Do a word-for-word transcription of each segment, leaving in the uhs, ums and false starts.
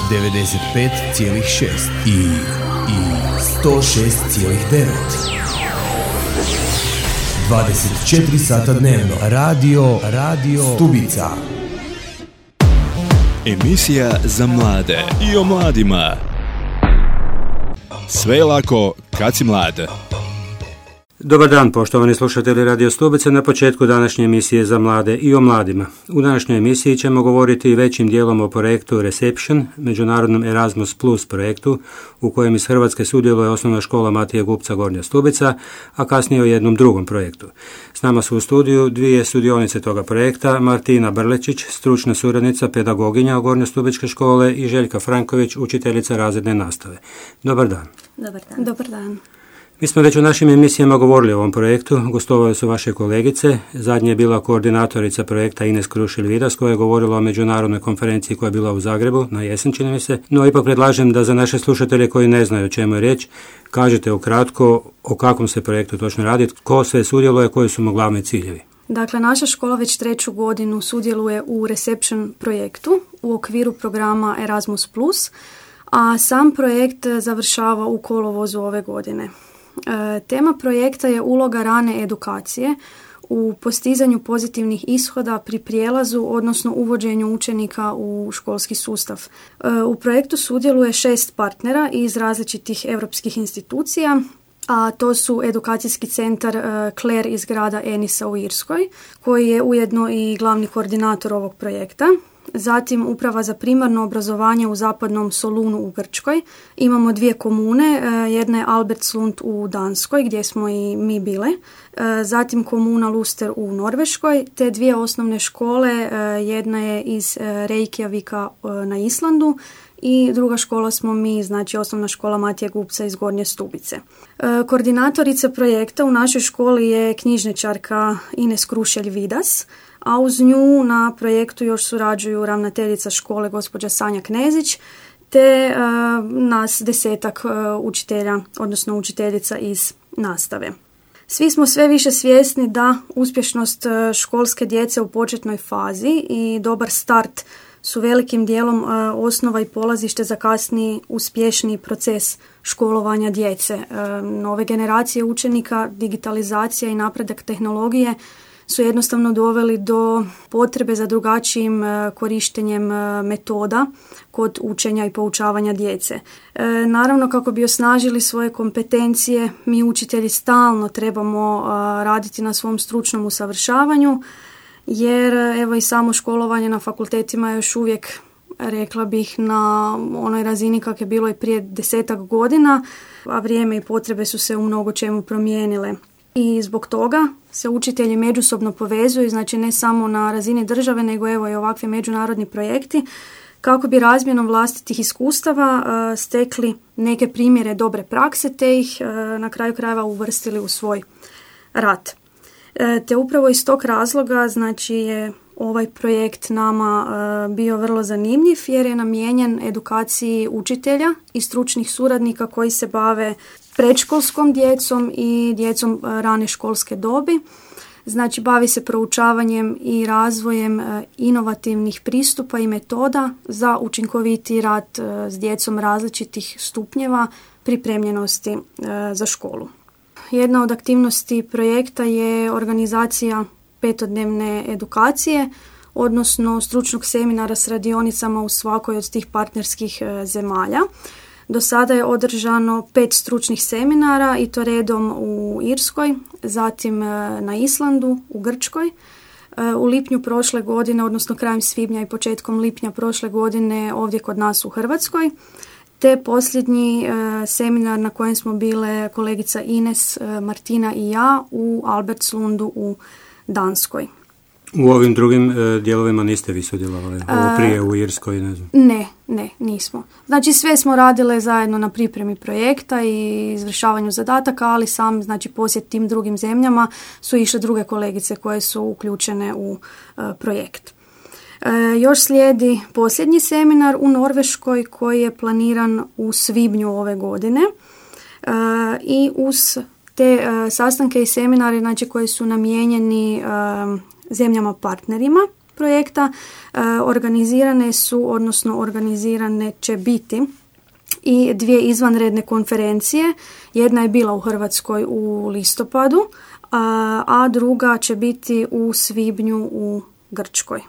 devedeset pet zarez šest i, i sto šest zarez devet. dvadeset četiri sata dnevno. Radio, radio Stubica. Emisija za mlade i o mladima. Sve je lako kad si mlad. Dobar dan, poštovani slušatelji Radio Stubica, na početku današnje emisije za mlade i o mladima. U današnjoj emisiji ćemo govoriti većim dijelom o projektu Reception, međunarodnom Erasmus Plus projektu, u kojem iz Hrvatske sudjeluje osnovna škola Matije Gupca Gornja Stubica, a kasnije o jednom drugom projektu. S nama su u studiju dvije sudionice toga projekta, Martina Brlečić, stručna suradnica, pedagoginja Gornjostubičke škole, i Željka Franković, učiteljica razredne nastave. Dobar dan. Dobar dan. Dobar dan. Mi smo već u našim emisijama govorili o ovom projektu, gostovale su vaše kolegice, zadnje je bila koordinatorica projekta Ines Krušelj-Vidas koja je govorila o međunarodnoj konferenciji koja je bila u Zagrebu, na jesen čini mi se, no ipak predlažem da za naše slušatelje koji ne znaju o čemu je riječ, kažete ukratko o kakvom se projektu točno radi, tko sve sudjeluje, koji su mu glavni ciljevi. Dakle, naša škola već treću godinu sudjeluje u Reception projektu u okviru programa Erasmus plus, a sam projekt završava u kolovozu ove godine. E, tema projekta je uloga rane edukacije u postizanju pozitivnih ishoda pri prijelazu, odnosno uvođenju učenika u školski sustav. E, u projektu sudjeluje šest partnera iz različitih europskih institucija, a to su edukacijski centar e, Clare iz grada Enisa u Irskoj, koji je ujedno i glavni koordinator ovog projekta. Zatim Uprava za primarno obrazovanje u zapadnom Solunu u Grčkoj. Imamo dvije komune, jedna je Albertslund u Danskoj gdje smo i mi bile, zatim komuna Luster u Norveškoj, te dvije osnovne škole, jedna je iz Reykjavika na Islandu i druga škola smo mi, znači osnovna škola Matije Gupca iz Gornje Stubice. Koordinatorica projekta u našoj školi je knjižničarka Ines Krušelj-Vidas, a uz nju na projektu još surađuju ravnateljica škole gospođa Sanja Knezić, te uh, nas desetak uh, učitelja, odnosno učiteljica iz nastave. Svi smo sve više svjesni da uspješnost školske djece u početnoj fazi i dobar start su velikim dijelom uh, osnova i polazište za kasniji uspješniji proces školovanja djece. Uh, nove generacije učenika, digitalizacija i napredak tehnologije su jednostavno doveli do potrebe za drugačijim korištenjem metoda kod učenja i poučavanja djece. E, naravno, kako bi osnažili svoje kompetencije, mi učitelji stalno trebamo a, raditi na svom stručnom usavršavanju, jer evo i samo školovanje na fakultetima je još uvijek, rekla bih, na onoj razini kako je bilo i prije desetak godina, a vrijeme i potrebe su se u mnogo čemu promijenile. I zbog toga se učitelji međusobno povezuju, znači ne samo na razini države, nego evo i ovakvi međunarodni projekti, kako bi razmjenom vlastitih iskustava uh, stekli neke primjere dobre prakse, te ih uh, na kraju krajeva uvrstili u svoj rad. E, te upravo iz tog razloga, znači je ovaj projekt nama uh, bio vrlo zanimljiv, jer je namijenjen edukaciji učitelja i stručnih suradnika koji se bave predškolskom djecom i djecom rane školske dobi. Znači, bavi se proučavanjem i razvojem inovativnih pristupa i metoda za učinkoviti rad s djecom različitih stupnjeva pripremljenosti za školu. Jedna od aktivnosti projekta je organizacija petodnevne edukacije, odnosno stručnog seminara s radionicama u svakoj od tih partnerskih zemalja. Do sada je održano pet stručnih seminara i to redom u Irskoj, zatim na Islandu, u Grčkoj. U lipnju prošle godine, odnosno krajem svibnja i početkom lipnja prošle godine ovdje kod nas u Hrvatskoj. Te posljednji seminar na kojem smo bile kolegica Ines, Martina i ja u Albertslundu u Danskoj. U ovim drugim e, dijelovima niste vi sudjelovali? Ovo prije u Irskoj, ne znam. Ne, ne, nismo. Znači sve smo radile zajedno na pripremi projekta i izvršavanju zadataka, ali sam, znači posjet tim drugim zemljama su išle druge kolegice koje su uključene u e, projekt. E, još slijedi posljednji seminar u Norveškoj koji je planiran u svibnju ove godine e, i uz te e, sastanke i seminare, znači koji su namijenjeni e, zemljama partnerima projekta organizirane su, odnosno organizirane će biti i dvije izvanredne konferencije. Jedna je bila u Hrvatskoj u listopadu, a, a druga će biti u svibnju u Grčkoj.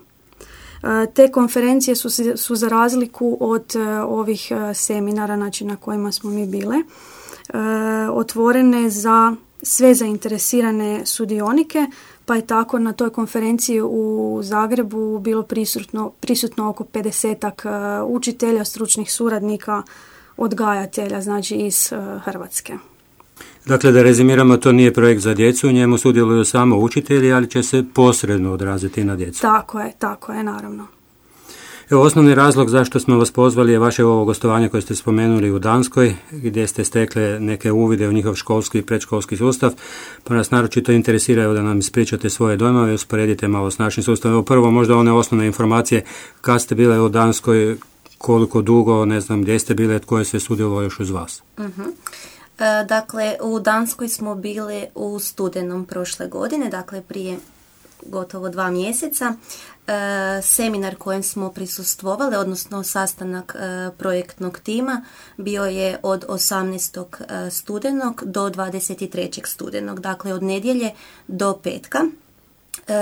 Te konferencije su, su za razliku od ovih seminara, znači na kojima smo mi bile, otvorene za sve zainteresirane sudionike, pa je tako na toj konferenciji u Zagrebu bilo prisutno, prisutno oko pedesetak učitelja, stručnih suradnika, odgajatelja, znači iz Hrvatske. Dakle, da rezimiramo, to nije projekt za djecu, u njemu sudjeluju samo učitelji, ali će se posredno odraziti na djecu. Tako je, tako je, naravno. Evo, osnovni razlog zašto smo vas pozvali je vaše ovo gostovanje koje ste spomenuli u Danskoj, gdje ste stekle neke uvide u njihov školski i predškolski sustav, pa nas naročito interesiraju da nam ispričate svoje dojmove i usporedite malo s našim sustavom. Evo, prvo možda one osnovne informacije, kad ste bile u Danskoj, koliko dugo, ne znam gdje ste bile, tko je sve sudjelovao još uz vas? Uh-huh. E, dakle, u Danskoj smo bili u studenom prošle godine, dakle prije gotovo dva mjeseca. E, seminar kojem smo prisustvovali, odnosno sastanak e, projektnog tima, bio je od osamnaestog studenog do dvadeset trećeg studenog, dakle od nedjelje do petka.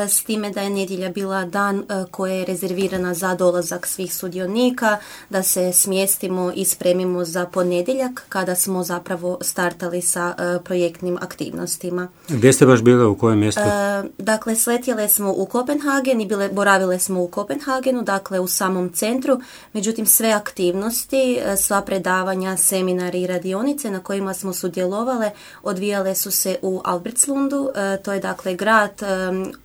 S time da je nedjelja bila dan koja je rezervirana za dolazak svih sudionika, da se smjestimo i spremimo za ponedjeljak kada smo zapravo startali sa projektnim aktivnostima. Gdje ste baš bile, u kojem mjestu? E, dakle, sletjele smo u Kopenhagen i bile, boravile smo u Kopenhagenu, dakle u samom centru, međutim sve aktivnosti, sva predavanja, seminari i radionice na kojima smo sudjelovale odvijale su se u Albertslundu, e, to je dakle grad e,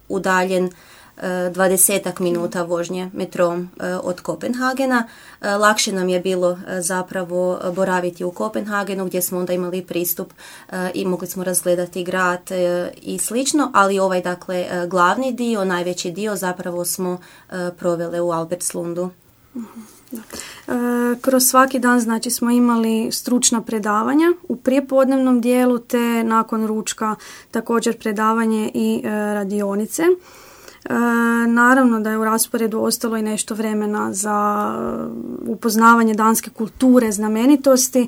udaljen dvadesetak minuta vožnje metrom od Kopenhagena. Lakše nam je bilo zapravo boraviti u Kopenhagenu gdje smo onda imali pristup i mogli smo razgledati grad i slično, ali ovaj dakle glavni dio, najveći dio zapravo smo provele u Albertslundu. Da. E, kroz svaki dan znači smo imali stručna predavanja u prijepodnevnom dijelu te nakon ručka također predavanje i e, radionice. E, naravno da je u rasporedu ostalo i nešto vremena za upoznavanje danske kulture, znamenitosti, e,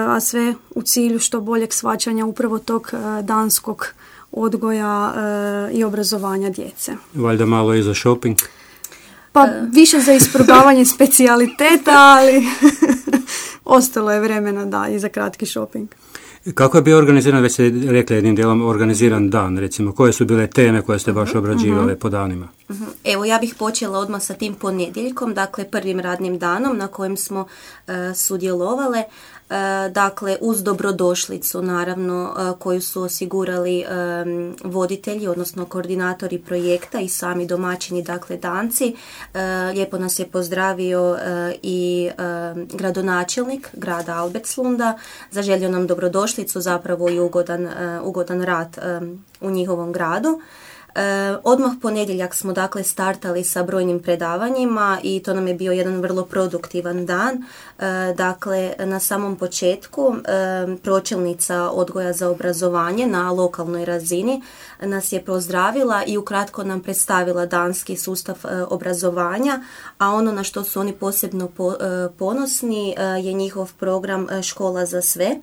a sve u cilju što boljeg shvaćanja upravo tog e, danskog odgoja e, i obrazovanja djece. Valjda malo i za shopping? Pa više za isprobavanje specijaliteta, ali ostalo je vremena da i za kratki shopping. Kako je bio organiziran, već ste rekli jednim dijelom, organiziran dan, recimo, koje su bile teme koje ste baš obrađivale uh-huh. po danima? Uh-huh. Evo, ja bih počela odmah sa tim ponedjeljkom, dakle prvim radnim danom na kojem smo uh, sudjelovale. Uh, dakle, uz dobrodošlicu, naravno, uh, koju su osigurali um, voditelji, odnosno koordinatori projekta i sami domaćini, dakle, Danci. Uh, lijepo nas je pozdravio uh, i uh, gradonačelnik grada Albertslunda, zaželio nam dobrodošlicu, zapravo i ugodan, uh, ugodan rad um, u njihovom gradu. E, odmah ponedjeljak smo dakle startali sa brojnim predavanjima i to nam je bio jedan vrlo produktivan dan. E, dakle, na samom početku e, pročelnica odgoja za obrazovanje na lokalnoj razini nas je pozdravila i ukratko nam predstavila danski sustav e, obrazovanja, a ono na što su oni posebno po, e, ponosni e, je njihov program e, Škola za sve,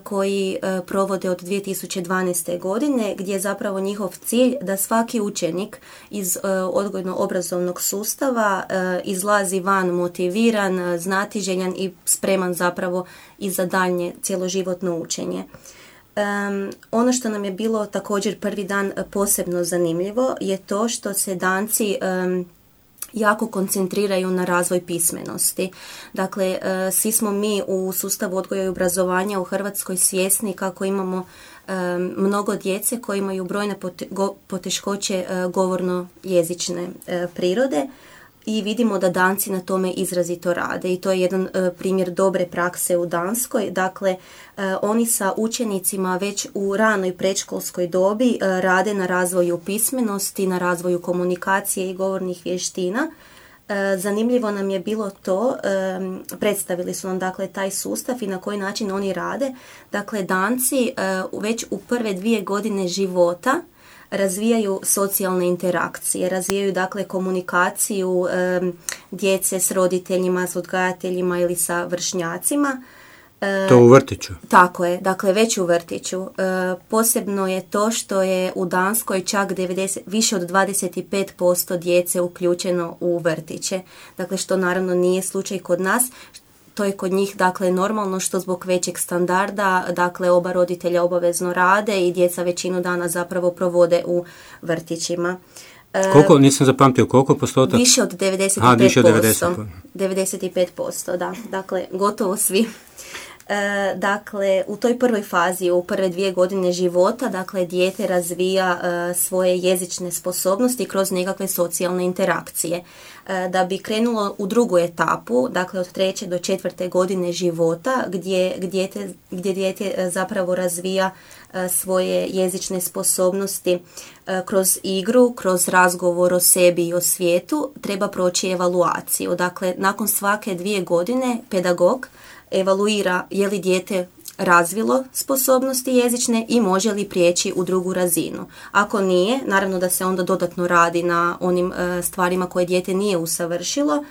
koji provode od dvije tisuće dvanaeste. godine, gdje je zapravo njihov cilj da svaki učenik iz odgojno-obrazovnog sustava izlazi van motiviran, znatiželjan i spreman zapravo i za daljnje cjeloživotno učenje. Um, ono što nam je bilo također prvi dan posebno zanimljivo je to što se Danci um, jako koncentriraju na razvoj pismenosti. Dakle, svi smo mi u sustavu odgoja i obrazovanja u Hrvatskoj svjesni kako imamo mnogo djece koji imaju brojne poteškoće govorno-jezične prirode i vidimo da Danci na tome izrazito rade i to je jedan primjer dobre prakse u Danskoj. Dakle, oni sa učenicima već u ranoj predškolskoj dobi rade na razvoju pismenosti, na razvoju komunikacije i govornih vještina. Zanimljivo nam je bilo to, predstavili su nam dakle taj sustav i na koji način oni rade. Dakle, Danci već u prve dvije godine života razvijaju socijalne interakcije, razvijaju dakle komunikaciju e, djece s roditeljima, s odgajateljima ili sa vršnjacima. E, to u vrtiću? Tako je, dakle već u vrtiću. E, posebno je to što je u Danskoj čak devedeset, više od dvadeset pet posto djece uključeno u vrtiće. Dakle, što naravno nije slučaj kod nas. To je kod njih dakle normalno što zbog većeg standarda, dakle oba roditelja obavezno rade i djeca većinu dana zapravo provode u vrtićima. Koliko, nisam zapamtio, koliko postotak? Više od devedeset pet posto. A, više od devedeset posto. devedeset pet posto, da. Dakle, gotovo svi. E, dakle, u toj prvoj fazi, u prve dvije godine života, dakle, dijete razvija e, svoje jezične sposobnosti kroz nekakve socijalne interakcije. E, da bi krenulo u drugu etapu, dakle, od treće do četvrte godine života, gdje, gdje, te, gdje dijete zapravo razvija e, svoje jezične sposobnosti e, kroz igru, kroz razgovor o sebi i o svijetu, treba proći evaluaciju. Dakle, nakon svake dvije godine pedagog evaluira je li dijete razvilo sposobnosti jezične i može li prijeći u drugu razinu. Ako nije, naravno da se onda dodatno radi na onim e, stvarima koje dijete nije usavršilo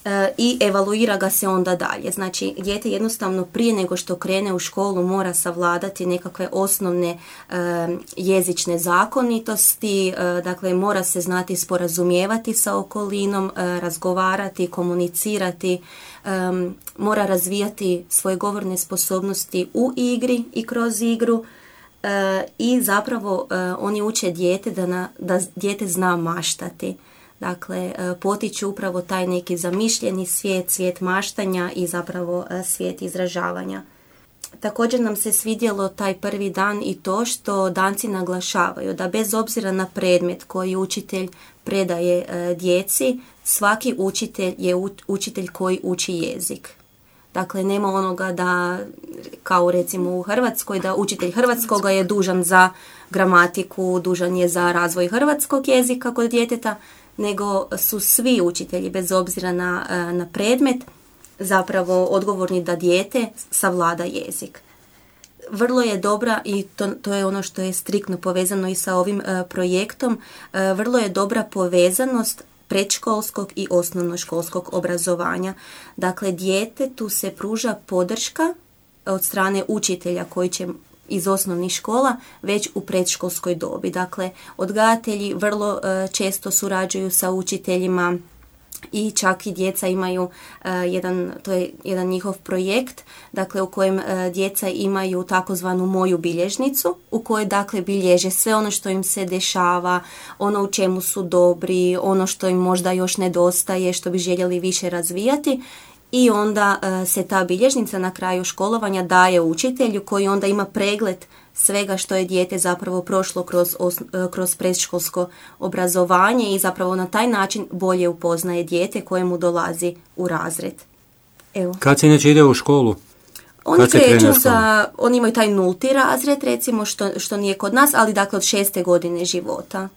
e, i evaluira ga se onda dalje. Znači, dijete jednostavno prije nego što krene u školu mora savladati nekakve osnovne e, jezične zakonitosti, e, dakle mora se znati sporazumijevati sa okolinom, e, razgovarati, komunicirati, Um, mora razvijati svoje govorne sposobnosti u igri i kroz igru uh, i zapravo uh, oni uče dijete da, na, da dijete zna maštati. Dakle, uh, potiču upravo taj neki zamišljeni svijet, svijet maštanja i zapravo uh, svijet izražavanja. Također nam se svidjelo taj prvi dan i to što Danci naglašavaju da bez obzira na predmet koji učitelj predaje e, djeci, svaki učitelj je u, učitelj koji uči jezik. Dakle, nema onoga da, kao recimo u Hrvatskoj, da učitelj hrvatskoga je dužan za gramatiku, dužan je za razvoj hrvatskog jezika kod djeteta, nego su svi učitelji bez obzira na, na predmet zapravo odgovorni da dijete savlada jezik. Vrlo je dobra, i to, to je ono što je striktno povezano i sa ovim uh, projektom, uh, vrlo je dobra povezanost predškolskog i osnovnoškolskog obrazovanja. Dakle, djetetu se pruža podrška od strane učitelja koji će iz osnovnih škola već u predškolskoj dobi. Dakle, odgajatelji vrlo uh, često surađuju sa učiteljima i čak i djeca imaju uh, jedan, to je jedan njihov projekt, dakle u kojem uh, djeca imaju takozvanu moju bilježnicu, u kojoj dakle bilježe sve ono što im se dešava, ono u čemu su dobri, ono što im možda još nedostaje, što bi željeli više razvijati. I onda uh, se ta bilježnica na kraju školovanja daje učitelju koji onda ima pregled svega što je dijete zapravo prošlo kroz, os, kroz predškolsko obrazovanje i zapravo na taj način bolje upoznaje dijete kojemu dolazi u razred. Evo. Kad se inače ide u školu? Oni kreću za, oni imaju taj nulti razred recimo što, što nije kod nas, ali dakle od šeste godine života.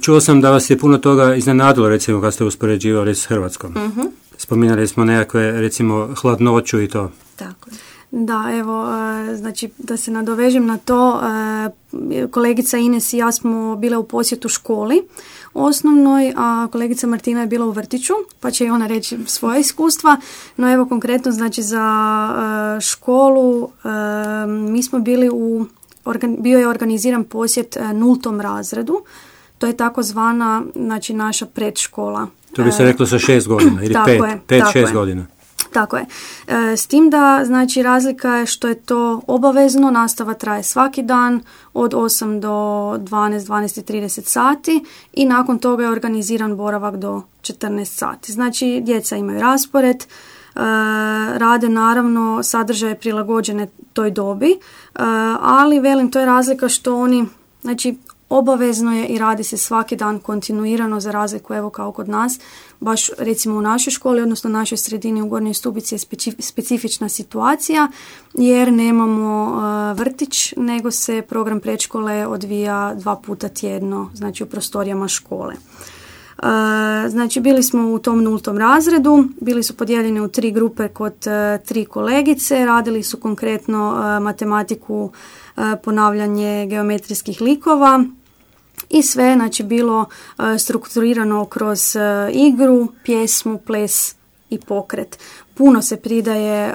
Čuo sam da vas je puno toga iznenadilo recimo kad ste uspoređivali s Hrvatskom. Uh-huh. Spominjali smo nekakve recimo hladnoću i to. Tako je. Da, evo, znači da se nadovežem na to, kolegica Ines i ja smo bile u posjetu školi osnovnoj, a kolegica Martina je bila u vrtiću, pa će i ona reći svoje iskustva. No evo konkretno, znači za školu mi smo bili u, bio je organiziran posjet nultom razredu, to je takozvana, znači naša predškola. To bi se reklo sa šest godina ili pet, je, pet šest je. godina. Tako je. E, s tim da, znači, razlika je što je to obavezno, nastava traje svaki dan od osam do dvanaest, dvanaest i trideset sati i nakon toga je organiziran boravak do četrnaest sati. Znači, djeca imaju raspored, e, rade naravno sadržaje prilagođene toj dobi, e, ali velim, to je razlika što oni, znači, obavezno je i radi se svaki dan kontinuirano za razliku evo kao kod nas. Baš recimo u našoj školi, odnosno našoj sredini u Gornjoj Stubici je specifična situacija jer nemamo uh, vrtić, nego se program predškole odvija dva puta tjedno, znači u prostorijama škole. Uh, znači bili smo u tom nultom razredu, bili su podijeljeni u tri grupe kod uh, tri kolegice, radili su konkretno uh, matematiku, uh, ponavljanje geometrijskih likova, i sve znači bilo strukturirano kroz igru, pjesmu, ples i pokret. Puno se pridaje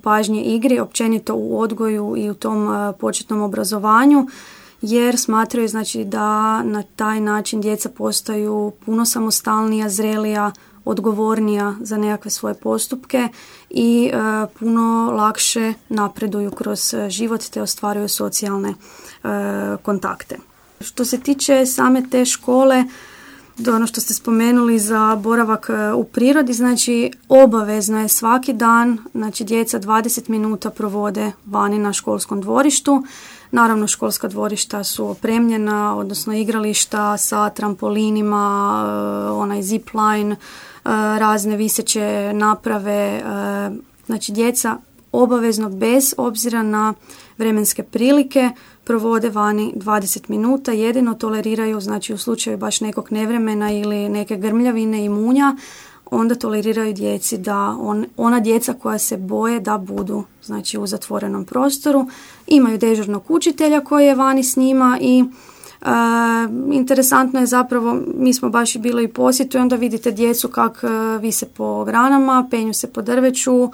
pažnje igri, općenito u odgoju i u tom početnom obrazovanju, jer smatraju znači da na taj način djeca postaju puno samostalnija, zrelija, odgovornija za nekakve svoje postupke i e, puno lakše napreduju kroz život te ostvaruju socijalne e, kontakte. Što se tiče same te škole, do ono što ste spomenuli za boravak u prirodi, znači obavezno je svaki dan, znači djeca dvadeset minuta provode vani na školskom dvorištu. Naravno, školska dvorišta su opremljena, odnosno igrališta sa trampolinima, onaj zip line, razne viseće naprave. Znači, djeca obavezno, bez obzira na vremenske prilike, provode vani dvadeset minuta, jedino toleriraju, znači u slučaju baš nekog nevremena ili neke grmljavine i munja, onda toleriraju djeci da on, ona djeca koja se boje da budu znači u zatvorenom prostoru, imaju dežurnog učitelja koji je vani s njima i e, interesantno je zapravo, mi smo baš bili i posjetu i onda vidite djecu kak vise po granama, penju se po drveću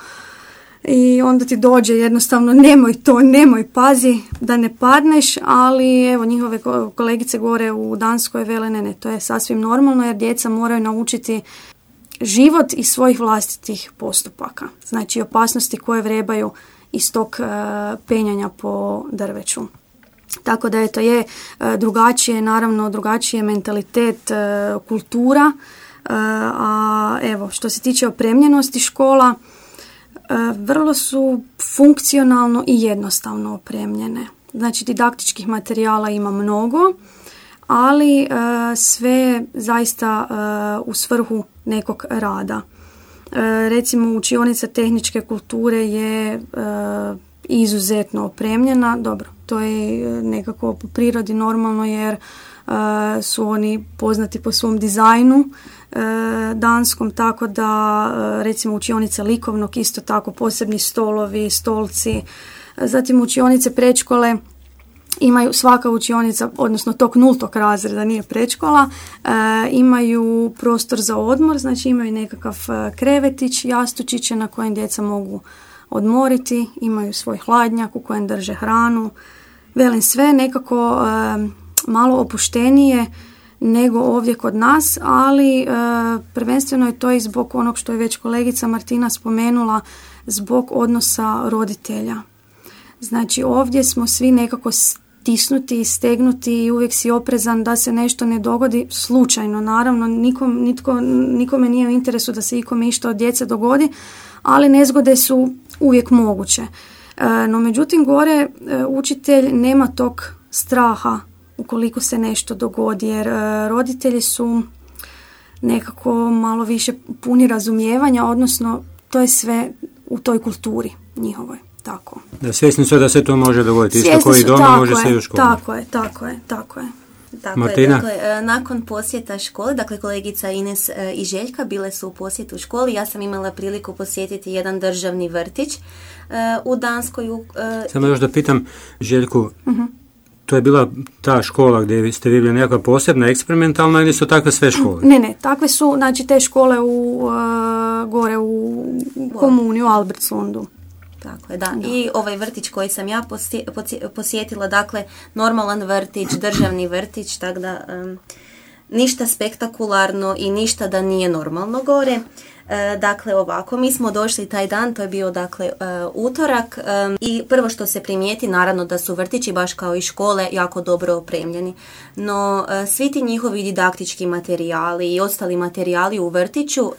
i onda ti dođe jednostavno nemoj to, nemoj, pazi da ne padneš, ali evo njihove kolegice gore u Danskoj vele ne, ne, to je sasvim normalno jer djeca moraju naučiti život iz svojih vlastitih postupaka. Znači opasnosti koje vrebaju iz tog uh, penjanja po drveću. Tako da eto je uh, drugačije, naravno drugačiji je mentalitet, uh, kultura, uh, a evo što se tiče opremljenosti škola, uh, vrlo su funkcionalno i jednostavno opremljene. Znači didaktičkih materijala ima mnogo, ali uh, sve zaista uh, u svrhu nekog rada. Uh, recimo učionica tehničke kulture je uh, izuzetno opremljena. Dobro, to je nekako po prirodi normalno jer uh, su oni poznati po svom dizajnu uh, danskom, tako da uh, recimo učionica likovnog isto tako posebni stolovi, stolci. Zatim učionice predškole imaju, svaka učionica, odnosno tog nultog razreda, nije predškola, e, imaju prostor za odmor, znači imaju nekakav krevetić, jastučiće na kojem djeca mogu odmoriti, imaju svoj hladnjak u kojem drže hranu. Velim, sve nekako e, malo opuštenije nego ovdje kod nas, ali e, prvenstveno je to i zbog onog što je već kolegica Martina spomenula, zbog odnosa roditelja. Znači ovdje smo svi nekako stisnuti i stegnuti i uvijek si oprezan da se nešto ne dogodi slučajno. Naravno, nikom, nitko, nikome nije u interesu da se ikome išta od djece dogodi, ali nezgode su uvijek moguće. E, no međutim, gore e, učitelj nema tog straha ukoliko se nešto dogodi, jer e, roditelji su nekako malo više puni razumijevanja, odnosno to je sve u toj kulturi njihovoj. Tako. Da, svjesni su da se to može dogoditi. Isto koji doma može se i u školi. Tako je, tako je, tako je. Tako Martina? Je, dakle, nakon posjeta škole, dakle kolegica Ines i Željka bile su u posjetu školi. Ja sam imala priliku posjetiti jedan državni vrtić u Danskoj. Samo još da pitam Željku, uh-huh. To je bila ta škola gdje ste vi bili nekakva posebna, eksperimentalna ili su takve sve škole? Ne, ne, takve su, znači te škole u, uh, gore u komuni, u Albertsundu. Tako je, da. da. I ovaj vrtić koji sam ja posjetila, dakle, normalan vrtić, državni vrtić, tako da um, ništa spektakularno i ništa da nije normalno gore. E, dakle, ovako, mi smo došli taj dan, to je bio, dakle, uh, utorak um, i prvo što se primijeti, naravno da su vrtići, baš kao i škole, jako dobro opremljeni. No, uh, svi ti njihovi didaktički materijali i ostali materijali u vrtiću, uh,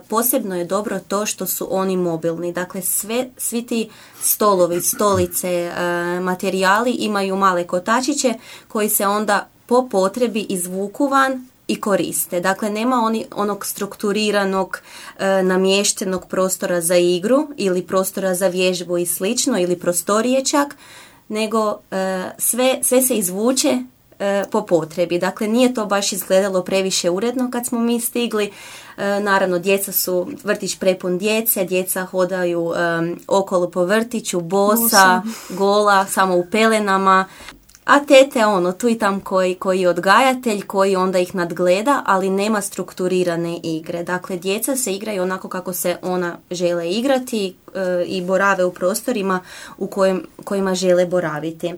posebno je dobro to što su oni mobilni. Dakle, sve, svi ti stolovi, stolice, uh, materijali imaju male kotačiće koji se onda po potrebi izvuku van i koriste. Dakle, nema oni onog strukturiranog, e, namještenog prostora za igru ili prostora za vježbu i slično, ili prostorije čak, nego e, sve, sve se izvuče e, po potrebi. Dakle, nije to baš izgledalo previše uredno kad smo mi stigli. E, naravno, djeca su, vrtić prepun djece, djeca hodaju e, okolo po vrtiću, bosa, gola, samo u pelenama. A tete ono, tu i tam koji, koji je odgajatelj, koji onda ih nadgleda, ali nema strukturirane igre. Dakle, djeca se igraju onako kako se ona žele igrati e, i borave u prostorima u kojim, kojima žele boraviti.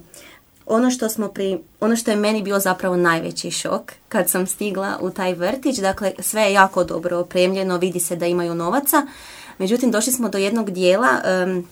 Ono što, smo pri, ono što je meni bio zapravo najveći šok kad sam stigla u taj vrtić, dakle sve je jako dobro opremljeno, vidi se da imaju novaca, međutim došli smo do jednog dijela, um,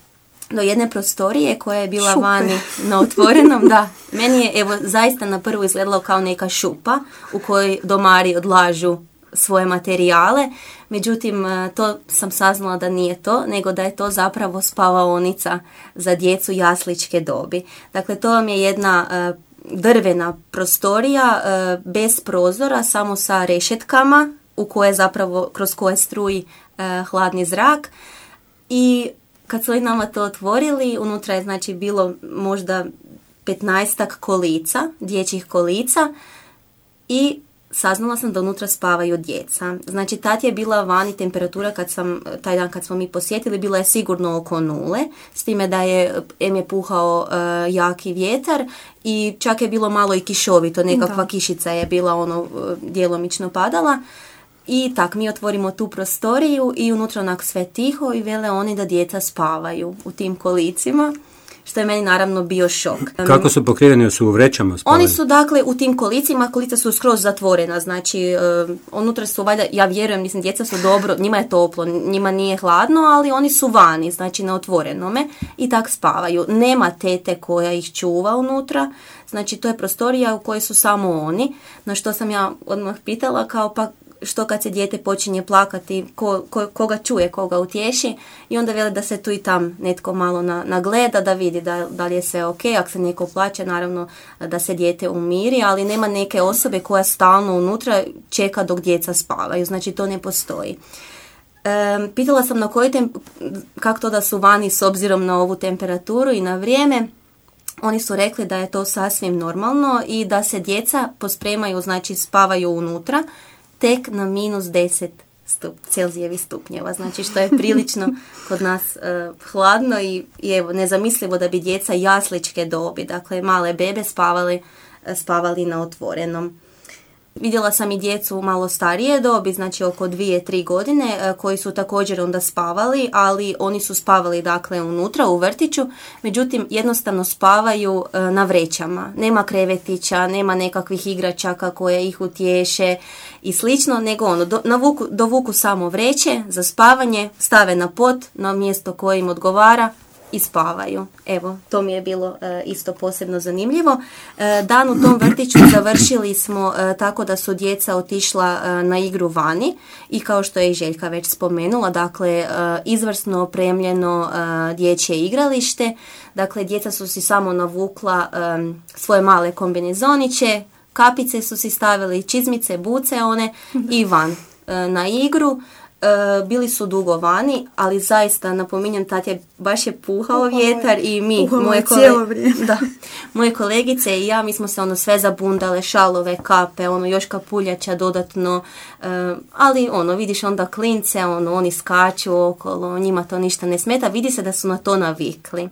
do jedne prostorije koja je bila Šupe. vani na otvorenom, da, meni je evo zaista na prvu izgledalo kao neka šupa u kojoj domari odlažu svoje materijale, međutim to sam saznala da nije to, nego da je to zapravo spavaonica za djecu jasličke dobi. Dakle, to vam je jedna uh, drvena prostorija uh, bez prozora, samo sa rešetkama u koje zapravo, kroz koje struji uh, hladni zrak. I kad su nama to otvorili, unutra je znači bilo možda petnaestak kolica, dječjih kolica, i saznala sam da unutra spavaju djeca. Znači, tad je bila vani temperatura kad sam, taj dan kad smo mi posjetili, bila je sigurno oko nule, s time da je, em je puhao uh, jaki vjetar i čak je bilo malo i kišovito, nekakva da. Kišica je bila ono uh, djelomično padala. I tak, mi otvorimo tu prostoriju i unutra onak sve tiho i vele oni da djeca spavaju u tim kolicima, što je meni naravno bio šok. Kako su pokriveni? Su u vrećama spavali? Oni su dakle u tim kolicima, kolica su skroz zatvorena, znači uh, unutra su valjda, ja vjerujem, mislim, djeca su dobro, njima je toplo, njima nije hladno, ali oni su vani, znači na otvorenome i tak spavaju. Nema tete koja ih čuva unutra, znači to je prostorija u kojoj su samo oni, na što sam ja odmah pitala kao pa što kad se dijete počinje plakati, ko, ko, koga čuje, koga utješi, i onda vele da se tu i tam netko malo na, nagleda, da vidi da, da li je sve ok, ako se neko plaće, naravno da se dijete umiri, ali nema neke osobe koja stalno unutra čeka dok djeca spavaju, znači to ne postoji. E, pitala sam na koji tem, kako to da su vani s obzirom na ovu temperaturu i na vrijeme. Oni su rekli da je to sasvim normalno i da se djeca pospremaju, znači spavaju unutra, tek na minus deset stup, Celzijevih stupnjeva, znači što je prilično kod nas uh, hladno i, i evo, nezamislivo da bi djeca jasličke dobi, dakle male bebe spavali, spavali na otvorenom. Vidjela sam i djecu malo starije dobi, znači oko dvije, tri godine, koji su također onda spavali, ali oni su spavali dakle unutra u vrtiću, međutim jednostavno spavaju na vrećama. Nema krevetića, nema nekakvih igračaka koje ih utješe i slično, nego ono, do, navuku, dovuku samo vreće za spavanje, stave na pod, na mjesto koje im odgovara i spavaju. Evo, to mi je bilo e, isto posebno zanimljivo. E, dan u tom vrtiću završili smo e, tako da su djeca otišla e, na igru vani i kao što je i Željka već spomenula, dakle e, izvrsno opremljeno e, dječje igralište. Dakle, djeca su si samo navukla e, svoje male kombinezoniće, kapice su si stavili, čizmice, buce one i van e, na igru. E, bili su dugo vani, ali zaista napominjem, tad je baš je puhao Uhao vjetar i mi, moje, kole... da, moje kolegice i ja, mi smo se ono sve zabundale, šalove, kape, ono još kapuljača dodatno, e, ali ono vidiš onda klince, ono oni skaču okolo, njima to ništa ne smeta, vidi se da su na to navikli.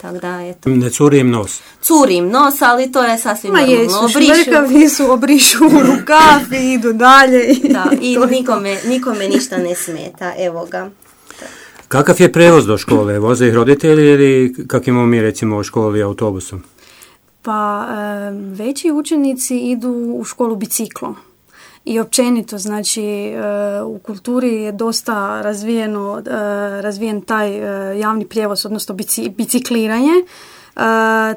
Tako da, eto. Ne curi im nos. Curi im nos, ali to je sasvim Ma normalno. jesu, šmrkavi su, obrišu u rukav i idu dalje. I da, i nikome, nikome ništa ne smeta, evo ga. Kakav je prevoz do škole? Voze ih roditelji ili kak imamo mi recimo u školi autobusom? Pa veći učenici idu u školu biciklom. I općenito, znači, u kulturi je dosta razvijeno, razvijen taj javni prijevoz, odnosno bicikliranje,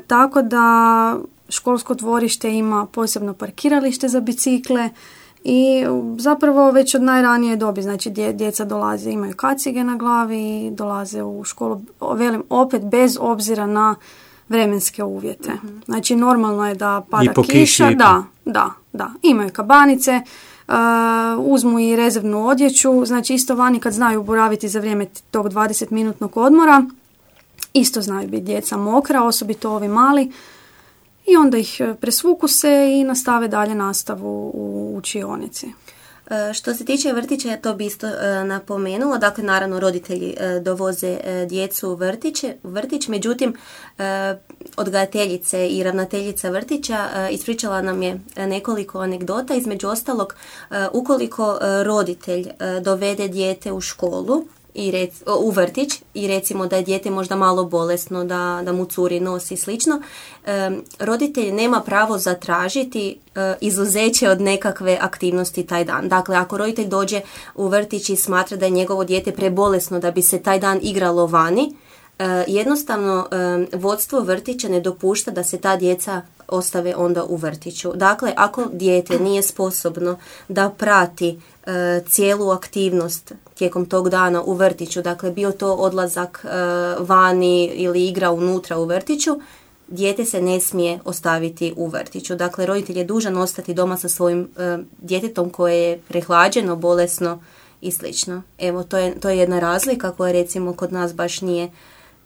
tako da školsko dvorište ima posebno parkiralište za bicikle i zapravo već od najranije dobi, znači djeca dolaze, imaju kacige na glavi i dolaze u školu, velim, opet bez obzira na vremenske uvjete. Znači, normalno je da pada kiša, kiši, da, da, da, imaju kabanice, uh, uzmu i rezervnu odjeću, znači isto vani kad znaju boraviti za vrijeme tog dvadesetminutnog odmora, isto znaju biti djeca mokra, osobito ovi mali, i onda ih presvuku se i nastave dalje nastavu u učionici. Što se tiče vrtića, to bi isto napomenula. Dakle, naravno, roditelji dovoze djecu u vrtiće, vrtić, međutim, odgajateljice i ravnateljica vrtića ispričala nam je nekoliko anegdota. Između ostalog, ukoliko roditelj dovede dijete u školu, i rec, u vrtić i recimo da je dijete možda malo bolesno, da, da mu curi nos i slično, e, roditelj nema pravo zatražiti e, izuzeće od nekakve aktivnosti taj dan. Dakle, ako roditelj dođe u vrtić i smatra da je njegovo dijete prebolesno da bi se taj dan igralo vani, e, jednostavno e, vodstvo vrtića ne dopušta da se ta djeca ostave onda u vrtiću. Dakle, ako dijete nije sposobno da prati e, cijelu aktivnost tijekom tog dana u vrtiću, dakle bio to odlazak e, vani ili igra unutra u vrtiću, dijete se ne smije ostaviti u vrtiću. Dakle, roditelj je dužan ostati doma sa svojim e, djetetom koje je prehlađeno, bolesno i slično. Evo, to je, to je jedna razlika koja recimo kod nas baš nije,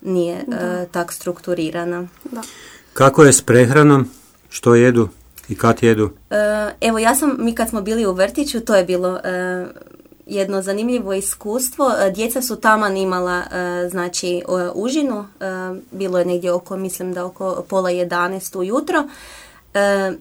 nije e, tak strukturirana. Da. Kako je s prehranom? Što jedu i kad jedu? E, evo, ja sam, mi kad smo bili u vrtiću, to je bilo e, jedno zanimljivo iskustvo. Djeca su taman imala e, znači užinu, e, bilo je negdje oko, mislim da oko pola jedanaest ujutro. E,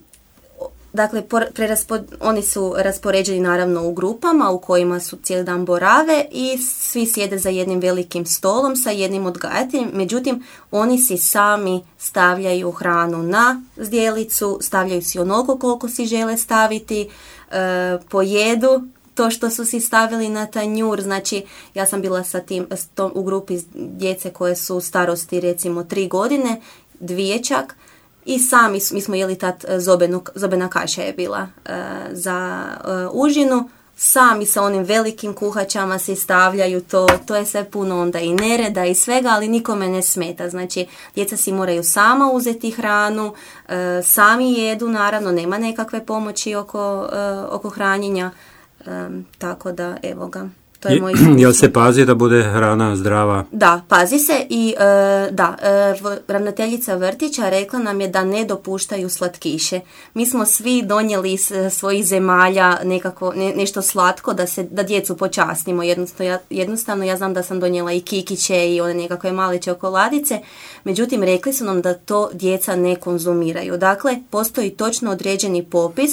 Dakle, preraspod, oni su raspoređeni naravno u grupama u kojima su cijeli dan borave i svi sjede za jednim velikim stolom sa jednim odgajateljem. Međutim, oni si sami stavljaju hranu na zdjelicu, stavljaju si onoliko koliko si žele staviti, e, pojedu to što su si stavili na tanjur. Znači, ja sam bila sa tim, s tom, u grupi djece koje su starosti recimo tri godine, dvije čak. I sami, mi smo jeli tad zobenu, zobena kaša je bila uh, za uh, užinu, sami sa onim velikim kuhačama si stavljaju to, to je sve puno onda i nereda i svega, ali nikome ne smeta. Znači, djeca si moraju sama uzeti hranu, uh, sami jedu, naravno, nema nekakve pomoći oko, uh, oko hranjenja, um, tako da, evo ga. To je moj Jel se pazi da bude hrana zdrava? Da, pazi se i e, da, e, ravnateljica vrtića rekla nam je da ne dopuštaju slatkiše. Mi smo svi donijeli iz svojih zemalja nekako, ne, nešto slatko da, se, da djecu počastimo. Jednostavno ja, jednostavno ja znam da sam donijela i kikiće i one nekakve male čokoladice, međutim rekli su nam da to djeca ne konzumiraju. Dakle, postoji točno određeni popis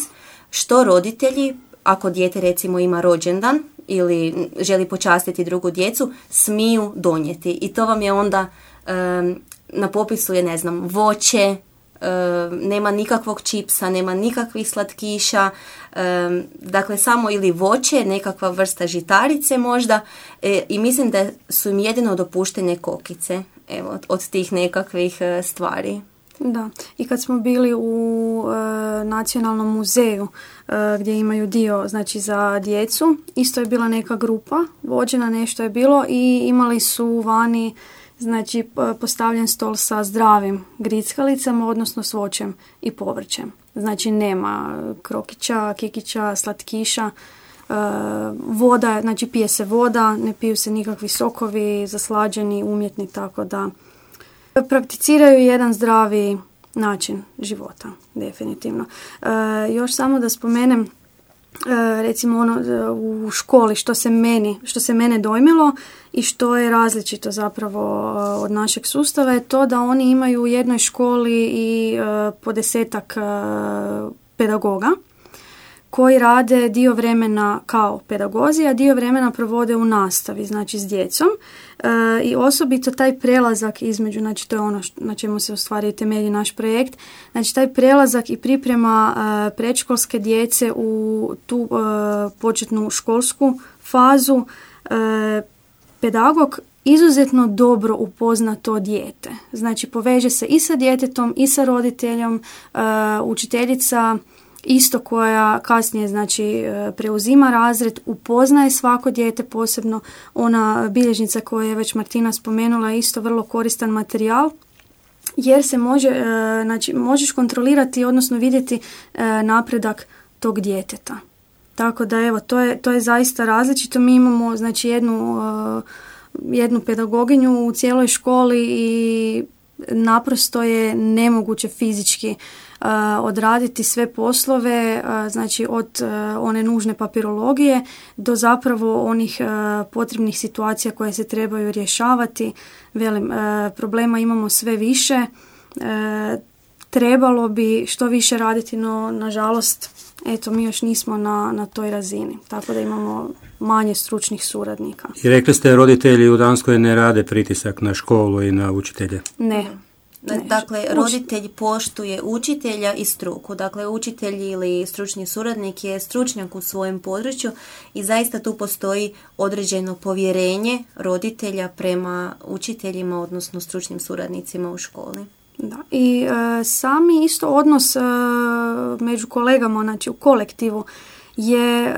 što roditelji, ako dijete recimo ima rođendan ili želi počastiti drugu djecu, smiju donijeti. I to vam je onda, um, na popisu je, ne znam, voće, um, nema nikakvog čipsa, nema nikakvih slatkiša, um, dakle samo ili voće, nekakva vrsta žitarice možda, e, i mislim da su im jedino dopuštene kokice, evo, od, od tih nekakvih uh, stvari. Da, i kad smo bili u e, Nacionalnom muzeju e, gdje imaju dio znači za djecu, isto je bila neka grupa, vođena nešto je bilo i imali su vani znači postavljen stol sa zdravim grickalicama, odnosno s voćem i povrćem. Znači nema krokića, kikića, slatkiša, e, voda, znači pije se voda, ne piju se nikakvi sokovi, zaslađeni, umjetni, tako da prakticiraju jedan zdravi način života, definitivno. E, još samo da spomenem, e, recimo ono u školi što se meni, što se mene dojmilo i što je različito zapravo od našeg sustava je to da oni imaju u jednoj školi i e, po desetak e, pedagoga koji rade dio vremena kao pedagozi, a dio vremena provode u nastavi, znači s djecom. E, I osobito taj prelazak između, znači to je ono što, na čemu se u stvari temelji naš projekt, znači taj prelazak i priprema e, predškolske djece u tu e, početnu školsku fazu, e, pedagog izuzetno dobro upozna to dijete. Znači poveže se i sa djetetom i sa roditeljom, e, učiteljica isto koja kasnije znači preuzima razred, upoznaje svako dijete, posebno ona bilježnica koju je već Martina spomenula je isto vrlo koristan materijal jer se može, znači možeš kontrolirati odnosno vidjeti napredak tog djeteta. Tako da evo, to je, to je zaista različito. Mi imamo znači jednu, jednu pedagoginju u cijeloj školi i naprosto je nemoguće fizički odraditi sve poslove, znači od one nužne papirologije do zapravo onih potrebnih situacija koje se trebaju rješavati. Velim, problema imamo sve više, trebalo bi što više raditi, no nažalost eto, mi još nismo na, na toj razini, tako da imamo manje stručnih suradnika. I rekli ste, roditelji u Danskoj ne rade pritisak na školu i na učitelje? Ne. Ne. Dakle, roditelj poštuje učitelja i struku. Dakle, učitelj ili stručni suradnik je stručnjak u svojem području i zaista tu postoji određeno povjerenje roditelja prema učiteljima, odnosno stručnim suradnicima u školi. Da. I e, sami isto odnos e, među kolegama, znači u kolektivu, je e,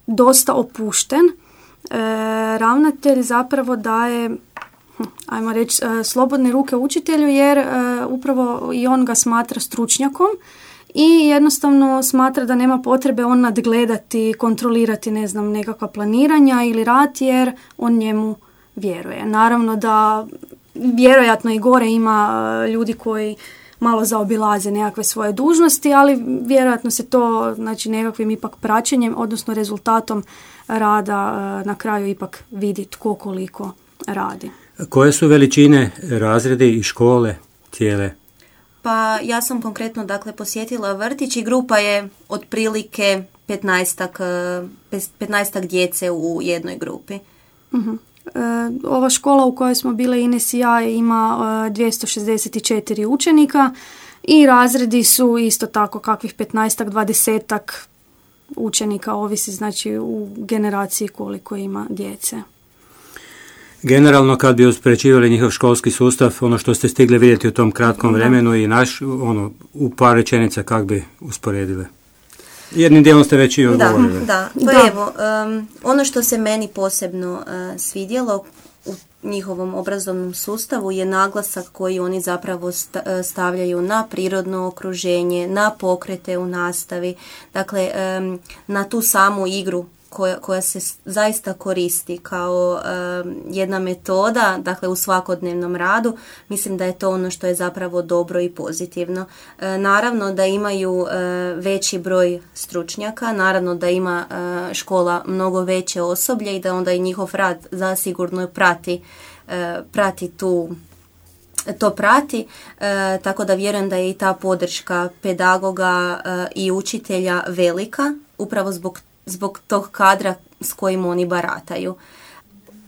dosta opušten. E, ravnatelj zapravo daje, hm, ajmo reći, e, slobodne ruke učitelju, jer e, upravo i on ga smatra stručnjakom i jednostavno smatra da nema potrebe on nadgledati, kontrolirati, ne znam, nekakva planiranja ili rad, jer on njemu vjeruje. Naravno da vjerojatno i gore ima ljudi koji malo zaobilaze nekakve svoje dužnosti, ali vjerojatno se to, znači, nekakvim ipak praćenjem, odnosno rezultatom rada na kraju ipak vidi tko koliko radi. Koje su veličine razredi i škole cijele? Pa ja sam konkretno, dakle, posjetila vrtić i grupa je otprilike petnaestak, petnaestak djece u jednoj grupi. Uh-huh. Ova škola u kojoj smo bile Ines i ja ima dvjesto šezdeset četiri učenika i razredi su isto tako kakvih petnaestak, dvadesetak učenika, ovisi znači u generaciji koliko ima djece. Generalno, kad bi uspoređivali njihov školski sustav, ono što ste stigli vidjeti u tom kratkom vremenu i naš, ono, u par rečenica kako bi usporedile? Jednim dijelom ste već i odgovorili. Da, da. Pa da. Evo, um, ono što se meni posebno uh, svidjelo u njihovom obrazovnom sustavu je naglasak koji oni zapravo stavljaju na prirodno okruženje, na pokrete u nastavi, dakle um, na tu samu igru koja, koja se zaista koristi kao um, jedna metoda, dakle u svakodnevnom radu. Mislim da je to ono što je zapravo dobro i pozitivno. E, naravno da imaju e, veći broj stručnjaka, naravno da ima e, škola mnogo veće osoblje i da onda i njihov rad zasigurno prati, e, prati tu to prati, e, tako da vjerujem da je i ta podrška pedagoga e, i učitelja velika, upravo zbog zbog tog kadra s kojim oni barataju.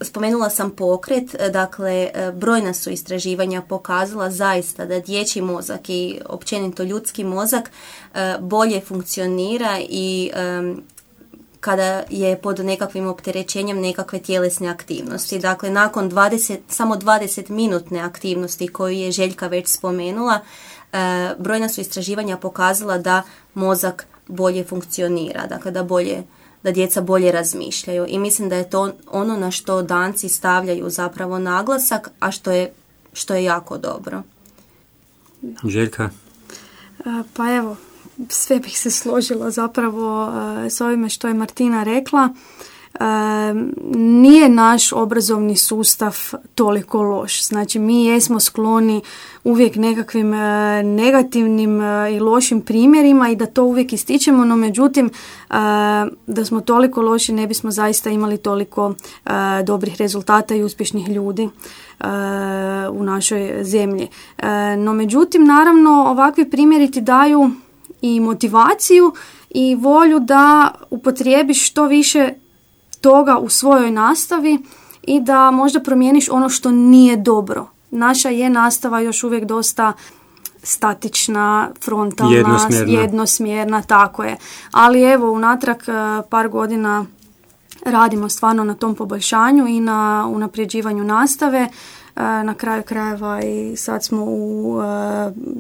Spomenula sam pokret, dakle brojna su istraživanja pokazala zaista da dječji mozak i općenito ljudski mozak bolje funkcionira i kada je pod nekakvim opterećenjem nekakve tjelesne aktivnosti. Dakle, nakon dvadeset, samo dvadeset minutne aktivnosti koju je Željka već spomenula, brojna su istraživanja pokazala da mozak bolje funkcionira, dakle da bolje, da djeca bolje razmišljaju i mislim da je to ono na što Danci stavljaju zapravo naglasak, a što je, što je jako dobro. Željka? Pa evo, sve bih se složila zapravo s ovime što je Martina rekla. E, nije naš obrazovni sustav toliko loš. Znači, mi jesmo skloni uvijek nekakvim e, negativnim e, i lošim primjerima i da to uvijek ističemo, no međutim e, da smo toliko loši ne bismo zaista imali toliko e, dobrih rezultata i uspješnih ljudi e, u našoj zemlji. E, no međutim, naravno, ovakvi primjeri ti daju i motivaciju i volju da upotrijebiš što više toga u svojoj nastavi i da možda promijeniš ono što nije dobro. Naša je nastava još uvijek dosta statična, frontalna, jednosmjerna, jednosmjerna tako je. Ali evo, unatrag par godina radimo stvarno na tom poboljšanju i na unapređivanju nastave. Na kraju krajeva i sad smo u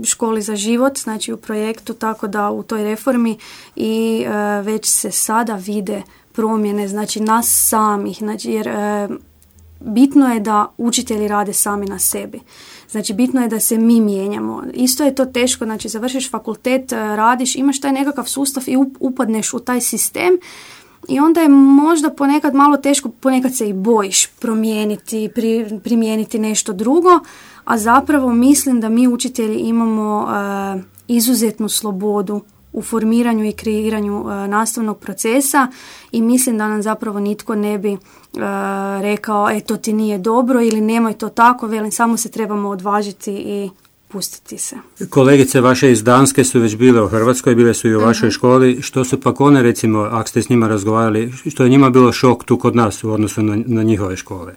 školi za život, znači u projektu, tako da u toj reformi i već se sada vide promjene, znači nas samih, znači jer e, bitno je da učitelji rade sami na sebi. Znači bitno je da se mi mijenjamo. Isto je to teško, znači završiš fakultet, radiš, imaš taj nekakav sustav i upadneš u taj sistem i onda je možda ponekad malo teško, ponekad se i bojiš promijeniti, pri, primijeniti nešto drugo, a zapravo mislim da mi učitelji imamo e, izuzetnu slobodu u formiranju i kreiranju uh, nastavnog procesa i mislim da nam zapravo nitko ne bi uh, rekao e to ti nije dobro ili nemoj to tako, velim samo se trebamo odvažiti i pustiti se. Kolegice vaše iz Danske su već bile u Hrvatskoj, bile su i u vašoj uh-huh. školi. Što su pak one, recimo, ako ste s njima razgovarali, što je njima bilo šok tu kod nas u odnosu na, na njihove škole?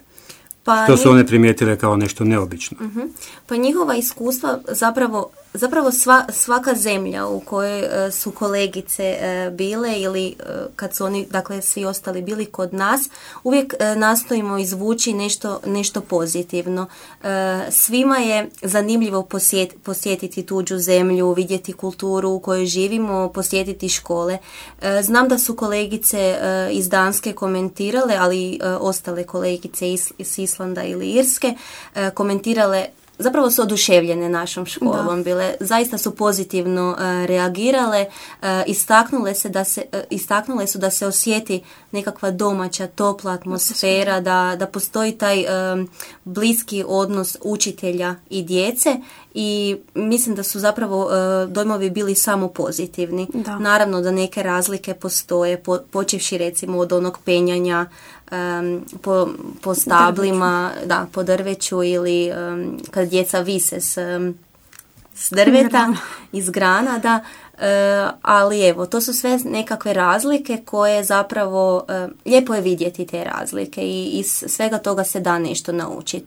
Pa što su one primijetile kao nešto neobično? Uh-huh. Pa njihova iskustva zapravo, zapravo sva, svaka zemlja u kojoj uh, su kolegice uh, bile ili uh, kad su oni, dakle svi ostali bili kod nas, uvijek uh, nastojimo izvući nešto, nešto pozitivno. Uh, svima je zanimljivo posjet, posjetiti tuđu zemlju, vidjeti kulturu u kojoj živimo, posjetiti škole. Uh, znam da su kolegice uh, iz Danske komentirale, ali uh, ostale kolegice iz, iz Islanda ili Irske uh, komentirale, zapravo su oduševljene našom školom da. Bile, zaista su pozitivno uh, reagirale, uh, istaknule se da se uh, istaknule su da se osjeti nekakva domaća, topla atmosfera, da, da postoji taj um, bliski odnos učitelja i djece i mislim da su zapravo uh, dojmovi bili samo pozitivni. Da. Naravno da neke razlike postoje, po, počevši recimo od onog penjanja um, po, po stablima, drveću. Da, po drveću ili um, kad djeca vise s, um, s drveta, grana. Iz grana, da. Uh, ali evo, to su sve nekakve razlike koje zapravo uh, lijepo je vidjeti te razlike i iz svega toga se da nešto naučiti.